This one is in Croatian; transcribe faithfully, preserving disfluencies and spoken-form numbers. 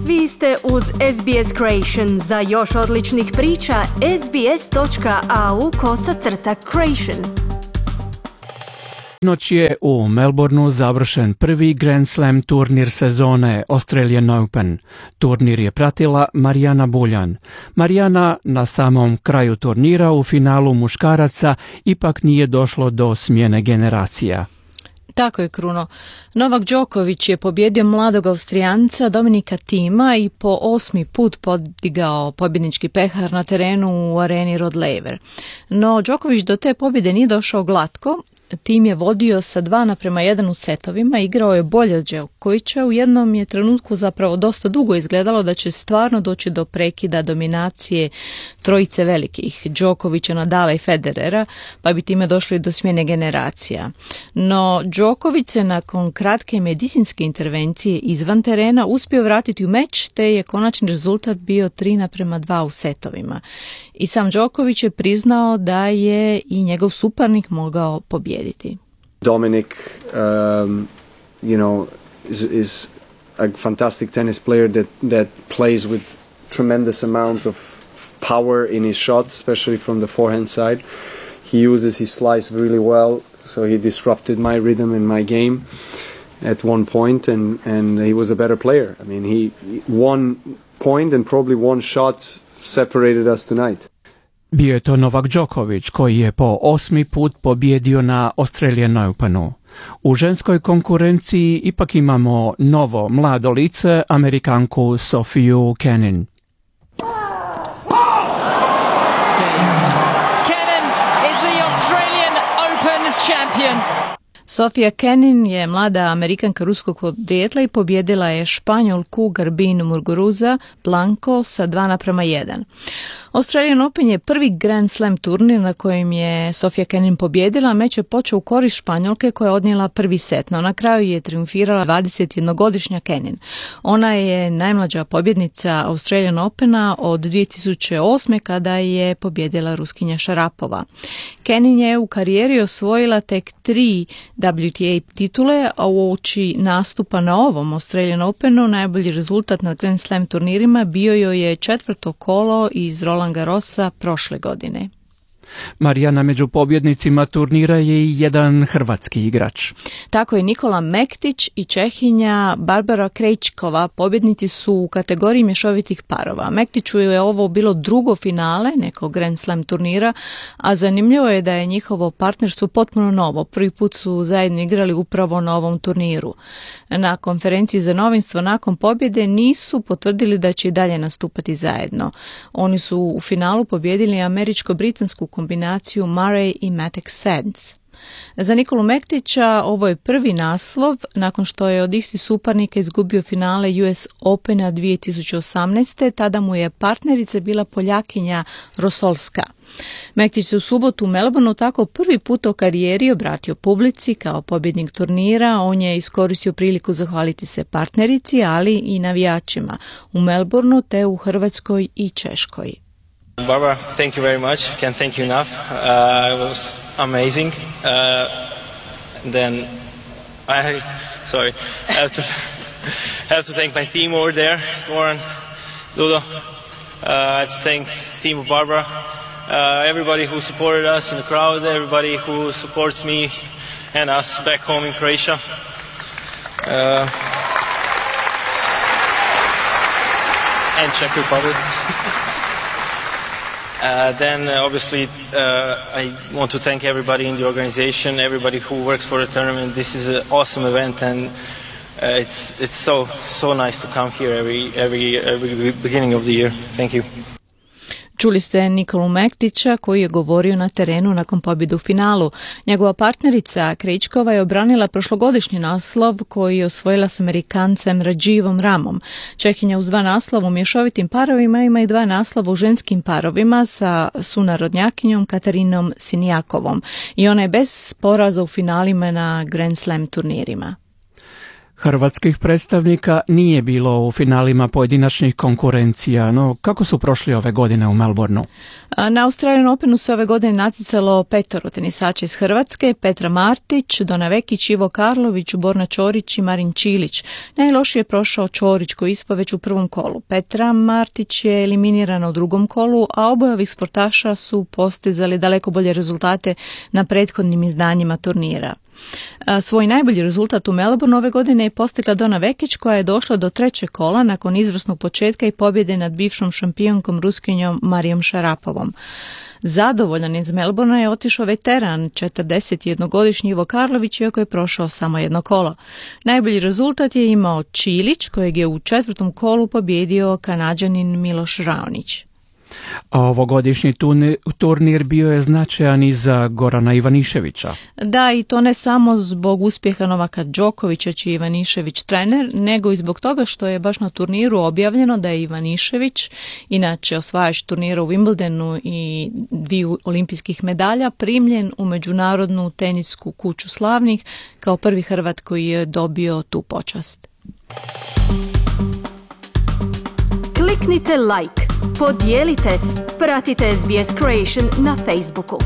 Vi ste uz S B S Creation. Za još odličnih priča, sbs.au kosacrta creation. Noć je u Melbourneu završen prvi Grand Slam turnir sezone Australian Open. Turnir je pratila Marijana Buljan. Marijana na samom kraju turnira u finalu muškaraca ipak nije došlo do smjene generacija. Tako je, Kruno. Novak Đoković je pobjedio mladog Austrijanca Dominika Thima i po osmi put podigao pobjednički pehar na terenu u areni Rod Laver. No, Đoković do te pobjede nije došao glatko. Tim je vodio sa dva naprema jedan u setovima, igrao je bolje od Đokovića. U jednom je trenutku zapravo dosta dugo izgledalo da će stvarno doći do prekida dominacije trojice velikih, Đokovića, Nadala i Federera, pa bi time došlo i do smjene generacija. No, Đoković se nakon kratke medicinske intervencije izvan terena uspio vratiti u meč, te je konačni rezultat bio tri naprema dva u setovima. I sam Đoković je priznao da je i njegov suparnik mogao pobijediti. Dominic, um, you know, is, is a fantastic tennis player that, that plays with tremendous amount of power in his shots, especially from the forehand side. He uses his slice really well, so he disrupted my rhythm in my game at one point, and, and he was a better player. I mean, he one point and probably one shot separated us tonight. Bio je to Novak Đoković koji je po osmi put pobjedio na Australian Openu. U ženskoj konkurenciji ipak imamo novo mlado lice, Amerikanku Sofiju Kenin. Kenin is the Australian Open champion. Sofia Kenin je mlada Amerikanka ruskog podrijetla i pobjedila je Španjolku Garbinu Muguruza Blanco sa dva naprema jedan. Australian Open je prvi Grand Slam turnir na kojem je Sofia Kenin pobjedila. Meč je počeo u korist Španjolke koja je odnijela prvi set, no na kraju je triumfirala dvadesetjednogodišnja Kenin. Ona je najmlađa pobjednica Australian Opena od dvije tisuće osme kada je pobjedila Ruskinja Šarapova. Kenin je u karijeri osvojila tek tri W T A titule, a uoči nastupa na ovom Australian Openu najbolji rezultat na Grand Slam turnirima bio joj je četvrto kolo iz Roland Garrosa prošle godine. Marijana, među pobjednicima turnira je i jedan hrvatski igrač. Tako je, Nikola Mektić i Čehinja Barbara Krejčkova pobjednici su u kategoriji mješovitih parova. Mektiću je ovo bilo drugo finale nekog Grand Slam turnira, a zanimljivo je da je njihovo partnerstvo potpuno novo. Prvi put su zajedno igrali upravo na ovom turniru. Na konferenciji za novinstvo nakon pobjede nisu potvrdili da će i dalje nastupati zajedno. Oni su u finalu pobjedili američko-britansku kombinaciju Murray i Matek Sands. Za Nikolu Mektića ovo je prvi naslov nakon što je od istih suparnika izgubio finale U S Opena dvije tisuće osamnaeste. Tada mu je partnerica bila Poljakinja Rosolska. Mektić se u subotu u Melbourneu tako prvi put u karijeri obratio publici kao pobjednik turnira. On je iskoristio priliku zahvaliti se partnerici, ali i navijačima u Melbourneu te u Hrvatskoj i Češkoj. Barbara, thank you very much. Can't thank you enough. Uh, it was amazing. Uh, then I, sorry, I have to have to thank my team over there, Goran, Ludo. Uh, I have to thank the team of Barbara, uh, everybody who supported us in the crowd, everybody who supports me and us back home in Croatia. Uh, and Czech Republic. Uh, then uh, obviously uh, I want to thank everybody in the organization, everybody who works for the tournament. This is an awesome event, and uh, it's it's so so nice to come here every every every beginning of the year. Thank you. Čuli ste Nikolu Mektića koji je govorio na terenu nakon pobjede u finalu. Njegova partnerica Krejčkova je obranila prošlogodišnji naslov koji je osvojila s Amerikancem Radživom Ramom. Čehinja uz dva naslova u mješovitim parovima ima i dva naslova u ženskim parovima sa sunarodnjakinjom Katarinom Sinijakovom. I ona je bez poraza u finalima na Grand Slam turnirima. Hrvatskih predstavnika nije bilo u finalima pojedinačnih konkurencija, no kako su prošli ove godine u Melbourneu? Na Australian Openu se ove godine natjecalo petoro tenisača iz Hrvatske: Petra Martić, Dona Vekić, Ivo Karlović, Borna Ćorić i Marin Čilić. Najlošije je prošao Ćorić koji ispao već u prvom kolu. Petra Martić je eliminirana u drugom kolu, a oboje ovih sportaša su postizali daleko bolje rezultate na prethodnim izdanjima turnira. Svoj najbolji rezultat u Melbourneu ove godine je postigla Dona Vekić koja je došla do trećeg kola nakon izvrsnog početka i pobjede nad bivšom šampionkom Ruskinjom Marijom Šarapovom. Zadovoljan iz Melbournea je otišao veteran četrdesetjednogodišnji Ivo Karlović, iako je prošao samo jedno kolo. Najbolji rezultat je imao Čilić kojeg je u četvrtom kolu pobjedio Kanađanin Miloš Raonić. A ovogodišnji turnir bio je značajan i za Gorana Ivaniševića. Da, i to ne samo zbog uspjeha Novaka Đokovića, čiji je Ivanišević trener, nego i zbog toga što je baš na turniru objavljeno da je Ivanišević, inače osvajač turnira u Wimbledonu i dviju olimpijskih medalja, primljen u Međunarodnu tenisku kuću slavnih kao prvi Hrvat koji je dobio tu počast. Kliknite like, podijelite, pratite S B S Creation na Facebooku.